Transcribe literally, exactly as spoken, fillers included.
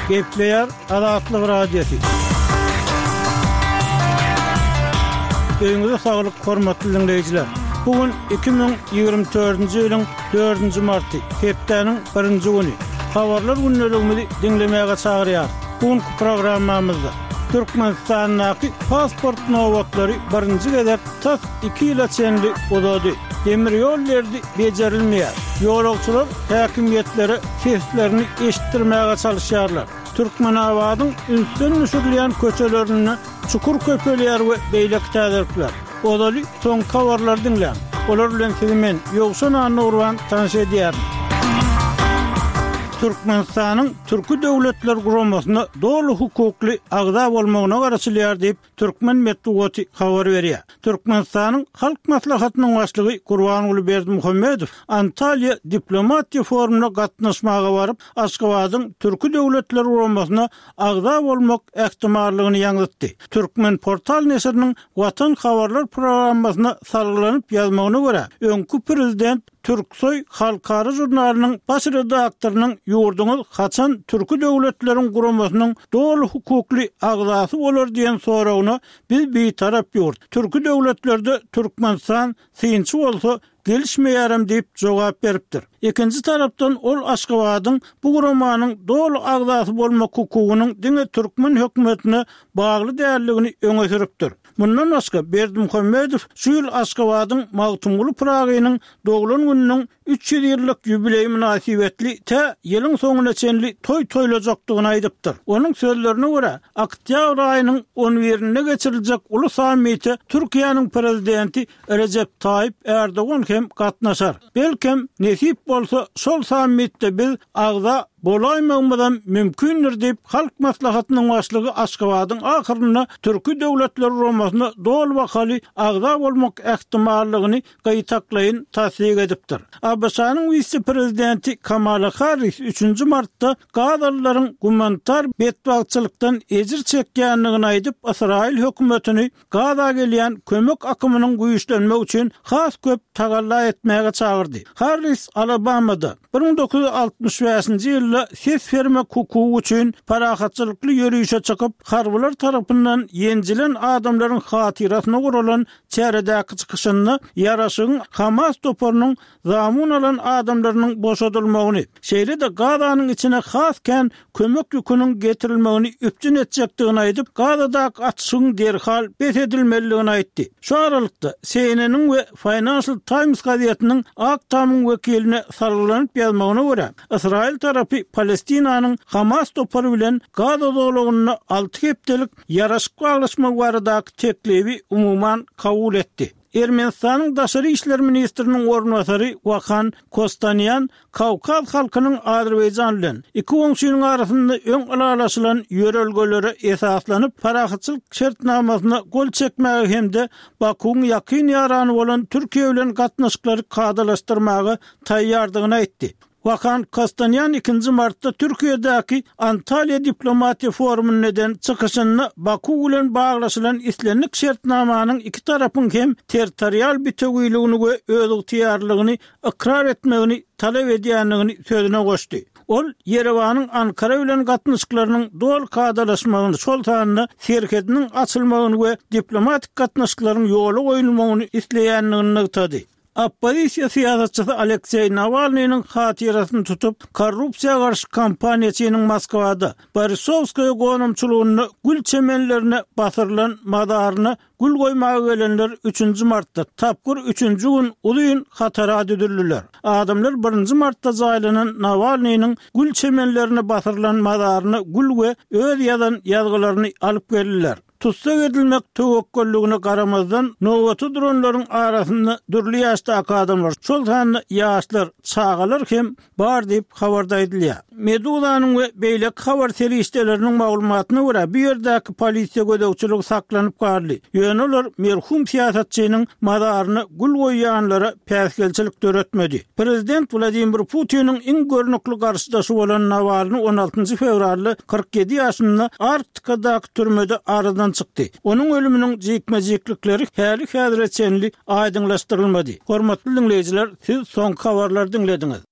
Gepleýär Azatlyk Radiosy. Öýüňize saglyk, hormatly diňleýjiler. Bu gün iki müň ýigrimi dördünji ýylyň dördünji marty, hepdäniň birinji güni. Habarlar gündeligimizi diňlemäge çagyrýarys. Bu günki programmamyzda Türkmenistandaky pasport nobatlary birinji gezek tas iki ýyla çenli uzady. Demir ýol derdi bejerilmeýär. Ýolagçylar häkimiýetlere seslerini eşitdirmäge çalyşýarlar. Türkmenabadyň ünsden düşürilýän köçelerinde çukur köpelýär we beýleki täzelikler. Ozaly soňky habarlary diňläň. Olar bilen sizi men, Ýowşan Annagurban tanyş edýärin. Türkmenistanyň Türki Döwletler Guramasyna doly hukukly agza bolmagyna garaşylýar diýip, Türkmen metbugaty habar berýär. Türkmenistanyň Halk Maslahatynyň Başlygy Gurbanguly Berdimuhamedow Antalýa diplomatiýa forumyna gatnaşmaga baryp, Aşgabadyň Türki Döwletler Guramasyna agza bolmak ähtimallygyny ýaňzytdy. Türkmenportal neşiriniň Watan habarlar programmasyna salgylanyp ýazmagyna görä, öňki prezident Türksoý halkara žurnalynyň baş redaktorynyň ýurduňyz haçan Türki Döwletleriň Guramasynyň doly hukukly agzasy bolar diýen soragyna biz bitarap ýurt, türki döwletlerde Türkmenistan synçy bolsa gelişmeýärem diýip jogap beripdir. Ikinji tarapdan ol Aşgabadyň bu guramanyň doly agzasy bolmak hukugynyň diňe türkmen hökümetine bagly däldigini öňe sürüpdir. Mundan başga, Berdimuhamedow şu ýyl Aşgabadyň Magtymguly Pyragynyň doglan gününiň üç ýüz ýyllyk ýubileýi mynasybetli tä ýylyň soňuna çenli toý toýlajakdygyny aýdypdyr. Onuň sözlerine görä, oktýabr aýynyň on birinde geçiriljek uly sammite Türkiýäniň Prezidenti Rejep Taýyp Ärdogan hem gatnaşar. Belkem, nesip bolsa, şol sammitde biz agza bolaýmagymyzam mümkindir diýip, Halk Maslahatynyň Başlygy Aşgabadyň ahyrynda Türki Döwletler Guramasyna doly bahaly agza bolmak ähtimallygyny gytaklaýyn tassyk edipdir. ABŞ-nyň wise-prezidenti Kamala Harris üçünji martda gazalylaryň gumanitar betbagtçylykdan ejir çekýändigini aýdyp, Ysraýyl hökümetini Gaza gelýän kömek akymynyň güýçlenmegi üçin has köp tagalla etmäge çagyrdy. Harris Alabamada bir müň dokuz ýüz altmyş bäşinji ýylda ses bermek hukugy üçin parahatçylykly ýörişe çykyp, harbylar tarapyndan ýenjilen adamlaryň hatyrasyna guralan çäredäki çykyşynda ýaraşygyň Hamas toparynyň zamun alan adamlarynyň boşadylmagyny, şeýle-de Gazanyň içine has kän kömek ýüküniň getirilmegini üpjün etjekdigini aýdyp, Gazadaky atyşygyň derhal bes edilmelidigini aýtdy. Şu aralykda, C N N-iň we Financial Times gazetiniň Ak Tamyň wekiline salgylanyp ýazmagyna görä, Ysraýyl tarapy Palestinanyň Hamas topary bilen Gaza zolagynda alty hepdelik ýaraşyk baglaşmak baradaky teklibi umuman kabul etdi. Ermenistanyň daşary işler ministriniň orunbasary Wahan Kostanýan Kawkaz halkynyň Azerbaýjan bilen iki goňşynyň arasynda öň ylalaşylan ýörelgelere esaslanyp parahatçylyk şertnamasyna gol çekmäge hem-de Bakuwyň ýakyn ýarany bolan Türkiýe bilen gatnaşyklary kadalaşdyrmaga taýýardygyny aýtdy. Wahan Kostanýan ikinji martda Türkiýedäki Antalýa diplomatiýa forumynda eden çykyşynda Baku bilen baglaşylan islendik şertnamanyň iki tarapyň hem territorial bitewiligini we özygtyýarlylygyny ykrar etmegini talap edýändigini sözüne goşdy. Ol Ýerewanyň Ankara bilen gatnaşyklarynyň doly kadalaşmagyny, şol sanda serhediniň açylmagyny we diplomatik gatnaşyklaryň ýola goýulmagyny isleýändigini nygtady. Oppozisiýa syýasatçysy Alekseý Nawalnynyň hatyrasyny tutup, korrupsiýa garşy kampaniýaçynyň Moskwada, Borisowskaýa gonamçylygynda gül çemenlerine basyrylan mazaryna gül goýmaga gelenler üçünji martda, tapgyr üçünji gün uzyn hatara düzüldiler. Adamlar birinji martda jaýlanan Nawalnynyň gül çemenlerine basyrylan mazaryna gül we öz ýazan ýazgylaryny alyp geldiler. Tussag edilmek töwekgelligine garamazdan, nobata duranlaryň arasynda dürli ýaşdaky adamlar, şol sanda ýaşlar, çagalar hem bar diýip, habarda aýdylýar. Meduzanyň we beýleki habar serişdeleriniň maglumatyna görä, bu ýerdäki polisiýa gözegçiligi saklanyp galdy, ýöne olar merhum syýasatçynyň mazaryna gül goýýanlara päsgelçilik döretmedi. Prezident Wladimir Putiniň iň görnükli garşydaşy bolan Nawalny on altynjy fewralda kyrk ýedi ýaşynda Arktikadaky türmede aradan çykdy. Onuň ölüminiň jikme-jiklikleri häli-häzire çenli aýdyňlaşdyrylmady. Hormatly diňleýjiler, siz soňky habarlary diňlediňiz.